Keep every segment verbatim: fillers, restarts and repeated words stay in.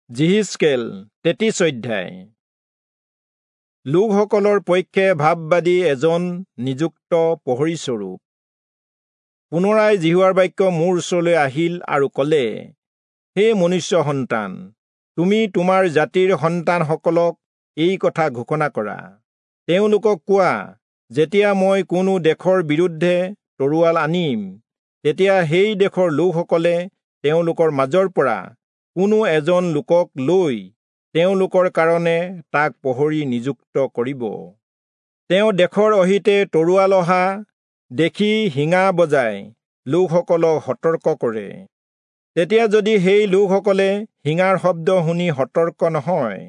যিহিষ্কেল তেত্ৰিশ অধ্যায়। লোকসকলৰ পক্ষে ভাববাদী এজন নিযুক্ত প্ৰহৰীস্বৰূপ। পুনৰাই যিহোৱাৰ বাক্য মোৰ ওচৰলৈ আহিল আৰু ক'লে, হে মনুষ্য সন্তান, তুমি তোমাৰ জাতিৰ সন্তানসকলক এই কথা ঘোষণা কৰা। তেওঁলোকক কোৱা, যেতিয়া মই কোনো দেশৰ বিৰুদ্ধে তৰোৱাল আনিম, তেতিয়া সেই দেশৰ লোকসকলে তেওঁলোকৰ মাজৰ পৰা কোনো এজন লোকক লৈ তেওঁলোকৰ কাৰণে তাক প্ৰহৰী নিযুক্ত কৰিব। তেওঁ দেশৰ অহিতে তৰোৱাল অহা দেখি শিঙা বজাই লোকসকলক সতৰ্ক কৰে। তেতিয়া যদি সেই লোকসকলে শিঙাৰ শব্দ শুনি সতৰ্ক নহয়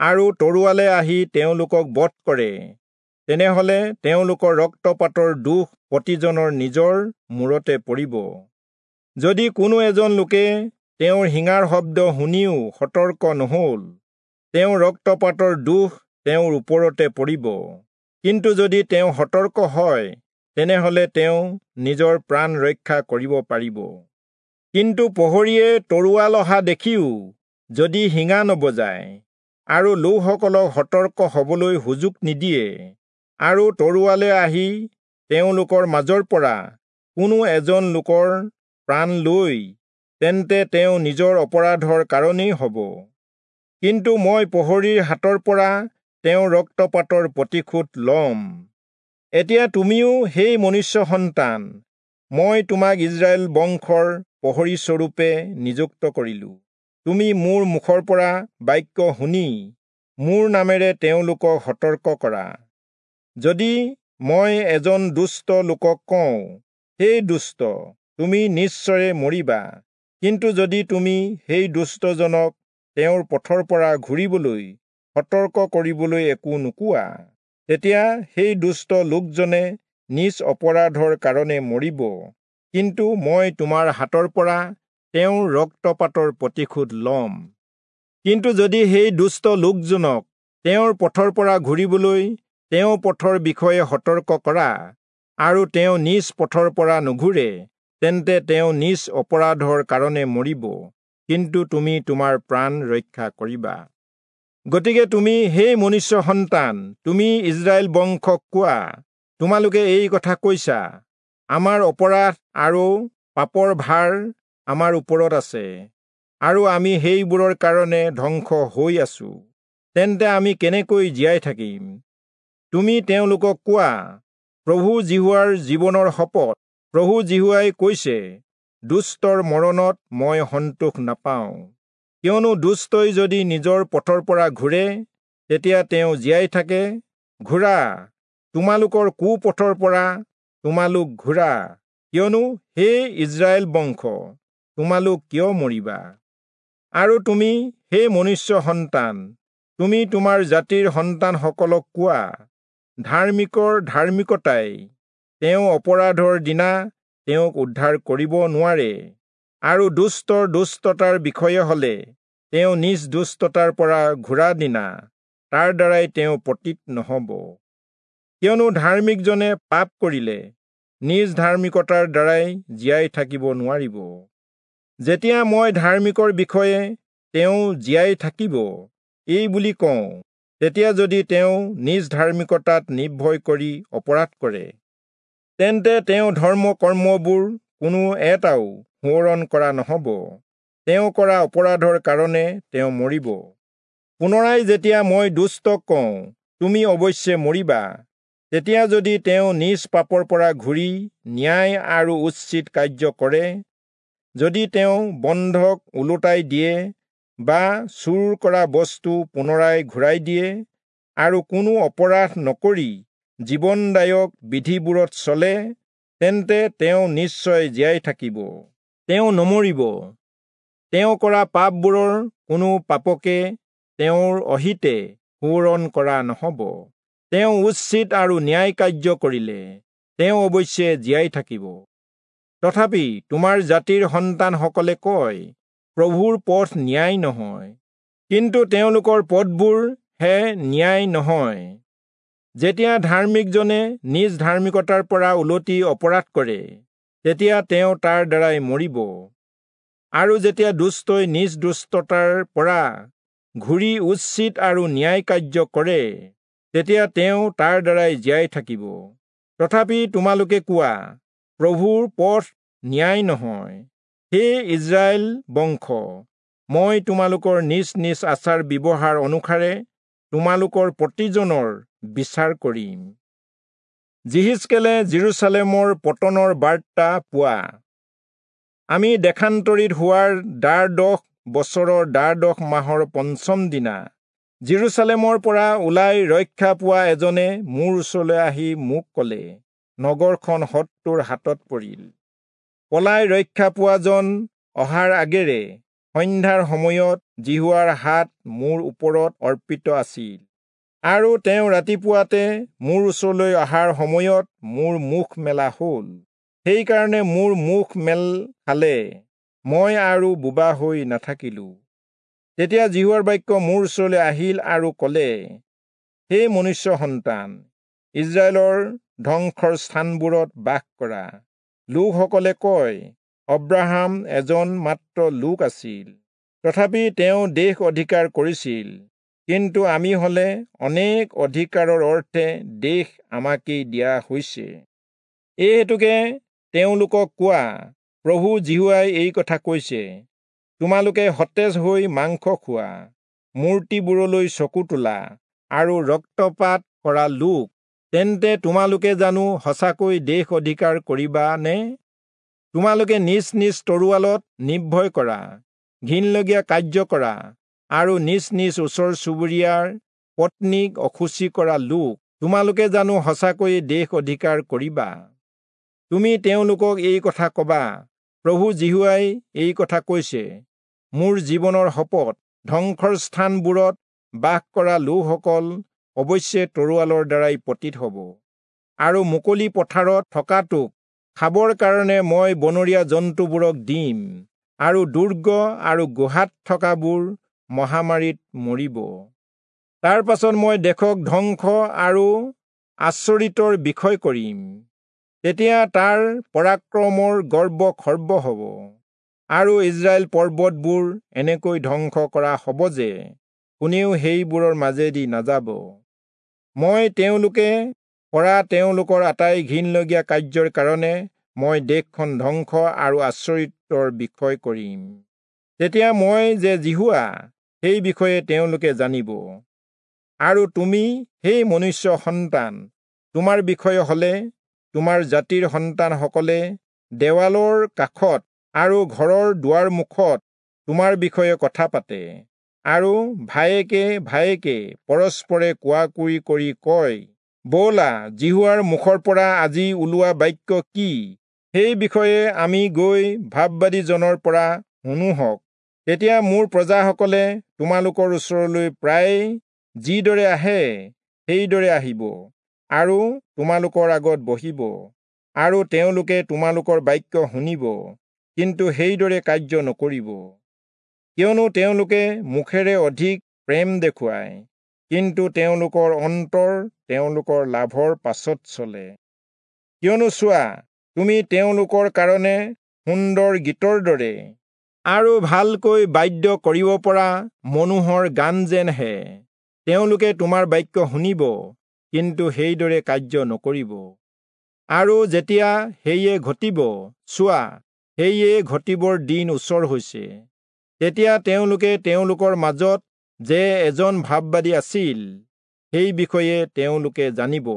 আৰু তৰোৱালে আহি তেওঁলোকক বধ কৰে, তেনেহলে তেওঁলোকৰ ৰক্তপাতৰ দোষ প্ৰতিজনৰ নিজৰ মূৰতে পৰিব। যদি কোনো এজন লোকে তেওঁৰ শিঙাৰ শব্দ শুনিও সতৰ্ক নহল, তেওঁৰ ৰক্তপাতৰ দোষ তেওঁৰ ওপৰতে পৰিব। কিন্তু যদি তেওঁ সতৰ্ক হয়, তেনেহলে তেওঁ নিজৰ প্ৰাণ ৰক্ষা কৰিব পাৰিব। কিন্তু প্ৰহৰীয়ে তৰোৱাল অহা দেখিও যদি শিঙা নবজায় আৰু লোকসকলক সতৰ্ক হবলৈ সুযোগ নিদিয়ে, আৰু তৰোৱালে আহি তেওঁলোকৰ মাজৰ পৰা কোনো এজন লোকৰ প্ৰাণ লৈ, তেন্তে তেওঁ নিজৰ অপৰাধৰ কাৰণেই হ'ব। কিন্তু মই প্ৰহৰীৰ হাতৰ পৰা তেওঁৰ ৰক্তপাতৰ প্ৰতিশোধ ল'ম। এতিয়া তুমিও সেই মনুষ্য সন্তান, মই তোমাক ইস্ৰায়েল বংশৰ প্ৰহৰীস্বৰূপে নিযুক্ত কৰিলো। তুমি মোৰ মুখৰ পৰা বাক্য শুনি মোৰ নামেৰে তেওঁলোকক সতৰ্ক কৰা। যদি মই এজন দুষ্ট লোকক কওঁ, হে দুষ্ট, তুমি নিশ্চয়ে মৰিবা, কিন্তু যদি তুমি সেই দুষ্টজনক তেওঁৰ পথৰ পৰা ঘূৰিবলৈ সতৰ্ক কৰিবলৈ একো নোকোৱা, তেতিয়া সেই দুষ্ট লোকজনে নিজ অপৰাধৰ কাৰণে মৰিব, কিন্তু মই তোমাৰ হাতৰ পৰা তেওঁৰ ৰক্তপাতৰ প্ৰতিশোধ ল'ম। কিন্তু যদি সেই দুষ্ট লোকজনক তেওঁৰ পথৰ পৰা ঘূৰিবলৈ তেওঁ পথৰ বিষয়ে সতৰ্ক কৰা আৰু তেওঁ নিজ পথৰ পৰা নুঘূৰে, তেন্তে তেওঁ নিজ অপৰাধৰ কাৰণে মৰিব, কিন্তু তুমি তোমাৰ প্ৰাণ ৰক্ষা কৰিবা। গতিকে তুমি সেই মনুষ্য সন্তান, তুমি ইস্ৰায়েল বংশক কোৱা, তোমালোকে এই কথা কৈছা, আমাৰ অপৰাধ আৰু পাপৰ ভাৰ আমাৰ ওপৰত আছে, আৰু আমি সেইবোৰৰ কাৰণে ধ্বংস হৈ আছো, তেন্তে আমি কেনেকৈ জীয়াই থাকিম? তুমি তেওঁলোকক কোৱা, প্ৰভু যিহোৱাৰ জীৱনৰ শপত, প্ৰভু যিহোৱাই কৈছে, দুষ্টৰ মৰণত মই সন্তোষ নাপাওঁ। কিয়নো দুষ্টই যদি নিজৰ পথৰ পৰা ঘূৰে, তেতিয়া তেওঁ জীয়াই থাকে। ঘূৰা, তোমালোকৰ কুপথৰ পৰা তোমালোক ঘূৰা, কিয়নো হে ইস্ৰায়েল বংশ, তোমালোক কিয় মৰিবা? আৰু তুমি হে মনুষ্য সন্তান, তুমি তোমাৰ জাতিৰ সন্তানসকলক কোৱা, ধাৰ্মিকৰ ধাৰ্মিকতাই তেওঁ অপৰাধৰ দিনা তেওঁক উদ্ধাৰ কৰিব নোৱাৰে, আৰু দুষ্টৰ দুষ্টতাৰ বিষয়ে হলে তেওঁ নিজ দুষ্টতাৰ পৰা ঘূৰা দিনা তাৰ দ্বাৰাই তেওঁ পতিত নহব। কিয়নো ধাৰ্মিকজনে পাপ কৰিলে নিজ ধাৰ্মিকতাৰ দ্বাৰাই জীয়াই থাকিব নোৱাৰিব। যেতিয়া মই ধাৰ্মিকৰ বিষয়ে তেওঁ জীয়াই থাকিব এই বুলি কওঁ, তেতিয়া যদি তেওঁ নিজ ধাৰ্মিকতাত নিৰ্ভয় কৰি অপৰাধ কৰে, তেন্তে তেওঁ ধৰ্ম কৰ্মবোৰ কোনো এটাও সোঁৱৰণ কৰা নহব, তেওঁ কৰা অপৰাধৰ কাৰণে তেওঁ মৰিব। পুনৰাই যেতিয়া মই দুষ্টক কওঁ, তুমি অৱশ্যে মৰিবা, তেতিয়া যদি তেওঁ নিজ পাপৰ পৰা ঘূৰি ন্যায় আৰু উচিত কাৰ্য কৰে, যদি তেওঁ বন্ধক ওলোটাই দিয়ে বা চুৰ কৰা বস্তু পুনৰাই ঘূৰাই দিয়ে, আৰু কোনো অপৰাধ নকৰি জীৱনদায়ক বিধিবোৰত চলে, তেন্তে তেওঁ নিশ্চয় জীয়াই থাকিব, তেওঁ নমৰিব। তেওঁ কৰা পাপবোৰৰ কোনো পাপকে তেওঁৰ অহিতে সোঁৱৰণ কৰা নহব। তেওঁ উচিত আৰু ন্যায় কাৰ্য কৰিলে তেওঁ অৱশ্যে জীয়াই থাকিব। তথাপি তোমাৰ জাতিৰ সন্তানসকলে কয়, প্ৰভুৰ পথ ন্যায় নহয়, কিন্তু তেওঁলোকৰ পথবোৰ হে ন্যায় নহয়। যেতিয়া ধাৰ্মিকজনে নিজ ধাৰ্মিকতাৰ পৰা উলটি অপৰাধ কৰে, তেতিয়া তেওঁ তাৰ দ্বাৰাই মৰিব। আৰু যেতিয়া দুষ্টই নিজ দুষ্টতাৰ পৰা ঘূৰি উচিত আৰু ন্যায় কাৰ্য কৰে, তেতিয়া তেওঁ তাৰ দ্বাৰাই জীয়াই থাকিব। তথাপি তোমালোকে কোৱা, প্ৰভুৰ পথ ন্যায় নহয়। হে ইস্ৰায়েল বংশ, মই তোমালোকৰ নিজ নিজ আচাৰ ব্যৱহাৰ অনুসাৰে তোমালোকৰ প্ৰতিজনৰ বিচাৰ কৰিম। যিহিষ্কেলে যিৰূচালেমৰ পতনৰ বাৰ্তা পোৱা। আমি দেশান্তৰিত হোৱাৰ দ্বাদশ বছৰৰ দ্বাদশ মাহৰ পঞ্চম দিনা যিৰূচালেমৰ পৰা ওলাই ৰক্ষা পোৱা এজনে মোৰ ওচৰলৈ আহি মোক কলে, নগৰখন শত্ৰুৰ হাতত পৰিল। পলাই ৰক্ষা পোৱাজন অহাৰ আগেৰে সন্ধ্যাৰ সময়ত যিহোৱাৰ হাত মোৰ ওপৰত অৰ্পিত আছিল, আৰু তেওঁ ৰাতিপুৱাতে মোৰ ওচৰলৈ অহাৰ সময়ত মোৰ মুখ মেলা হ'ল। সেইকাৰণে মোৰ মুখ মেল খালে, মই আৰু বোবা হৈ নাথাকিলো। তেতিয়া যিহোৱাৰ বাক্য মোৰ ওচৰলৈ আহিল আৰু কলে, হে মনুষ্য সন্তান, ইস্ৰায়েলৰ ধ্বংসৰ স্থানবোৰত বাস কৰা লোকসকলে কয়, অব্ৰাহাম এজন মাত্ৰ লোক আছিল, তথাপি তেওঁ দেশ অধিকাৰ কৰিছিল, কিন্তু আমি হলে অনেক অধিকাৰৰ অৰ্থে দেশ আমাকেই দিয়া হৈছে। এই হেতুকে তেওঁলোকক কোৱা, প্ৰভু যিহোৱাই এই কথা কৈছে, তোমালোকে সতেজ হৈ মাংস খোৱা, মূৰ্তিবোৰলৈ চকু তোলা আৰু ৰক্তপাত কৰা লোক, তেন্তে তোমালোকে জানো সঁচাকৈ দেশ অধিকাৰ কৰিবা নে? তোমালোকে নিজ নিজ তৰোৱালত নিৰ্ভয় কৰা, ঘিনলগীয়া কাৰ্য কৰা আৰু নিজ নিজ ওচৰ চুবুৰীয়াৰ পত্নীক অশুচি কৰা লোক, তোমালোকে জানো সঁচাকৈয়ে দেশ অধিকাৰ কৰিবা? তুমি তেওঁলোকক এই কথা কবা, প্ৰভু যিহোৱাই এই কথা কৈছে, মোৰ জীৱনৰ শপত, ধ্বংসৰ স্থানবোৰত বাস কৰা লোকসকল অৱশ্যে তৰোৱালৰ দ্বাৰাই পতিত হ'ব, আৰু মুকলি পথাৰত থকাটোক খাবৰ কাৰণে মই বনৰীয়া জন্তুবোৰক দিম, আৰু দুৰ্গ আৰু গুহাত থকাবোৰ মহামাৰীত মৰিব। তাৰ পাছত মই দেশক ধ্বংস আৰু আচৰিতৰ বিষয় কৰিম, তেতিয়া তাৰ পৰাক্ৰমৰ গৰ্ব খৰ্ব হ'ব, আৰু ইস্ৰায়েল পৰ্বতবোৰ এনেকৈ ধ্বংস কৰা হ'ব যে কোনেও সেইবোৰৰ মাজেদি নাযাব। মই তেওঁলোকে কৰা তেওঁলোকৰ আটাই ঘিনলগীয়া কাৰ্যৰ কাৰণে মই দেশখন ধ্বংস আৰু আচৰিতৰ বিষয় কৰিম। তেতিয়া মই যে যিহোৱা, সেই বিষয়ে তেওঁলোকে জানিব। আৰু তুমি, সেই মনুষ্য সন্তান, তোমাৰ বিষয়ে হলে তোমাৰ জাতিৰ সন্তানসকলে দেৱালৰ কাষত আৰু ঘৰৰ দুৱাৰ মুখত তোমাৰ বিষয়ে কথা পাতে, আৰু ভায়েকে ভায়েকে পৰস্পৰে কোৱাকুই কৰি কয়, ব'লা, যিহোৱাৰ মুখৰ পৰা আজি ওলোৱা বাক্য কি, সেই বিষয়ে আমি গৈ ভাববাদীজনৰ পৰা শুনোহক। তেতিয়া মোৰ প্ৰজাসকলে তোমালোকৰ ওচৰলৈ প্ৰায় যিদৰে আহে সেইদৰে আহিব, আৰু তোমালোকৰ আগত বহিব, আৰু তেওঁলোকে তোমালোকৰ বাক্য শুনিব, কিন্তু সেইদৰে কাৰ্য নকৰিব। কিয়নো তেওঁলোকে মুখেৰে অধিক প্ৰেম দেখুৱায়, কিন্তু তেওঁলোকৰ অন্তৰ তেওঁলোকৰ লাভৰ পাছত চলে। কিয়নো চোৱা, তুমি তেওঁলোকৰ কাৰণে সুন্দৰ গীতৰ দৰে আৰু ভালকৈ বাদ্য কৰিব পৰা মনোহৰ গান যেনহে। তেওঁলোকে তোমাৰ বাক্য শুনিব, কিন্তু সেইদৰে কাৰ্য নকৰিব। আৰু যেতিয়া সেয়ে ঘটিব, চোৱা, সেয়ে ঘটিবৰ দিন ওচৰ হৈছে, তেতিয়া তেওঁলোকে তেওঁলোকৰ মাজত যে এজন ভাববাদী আছিল, সেই বিষয়ে তেওঁলোকে জানিব।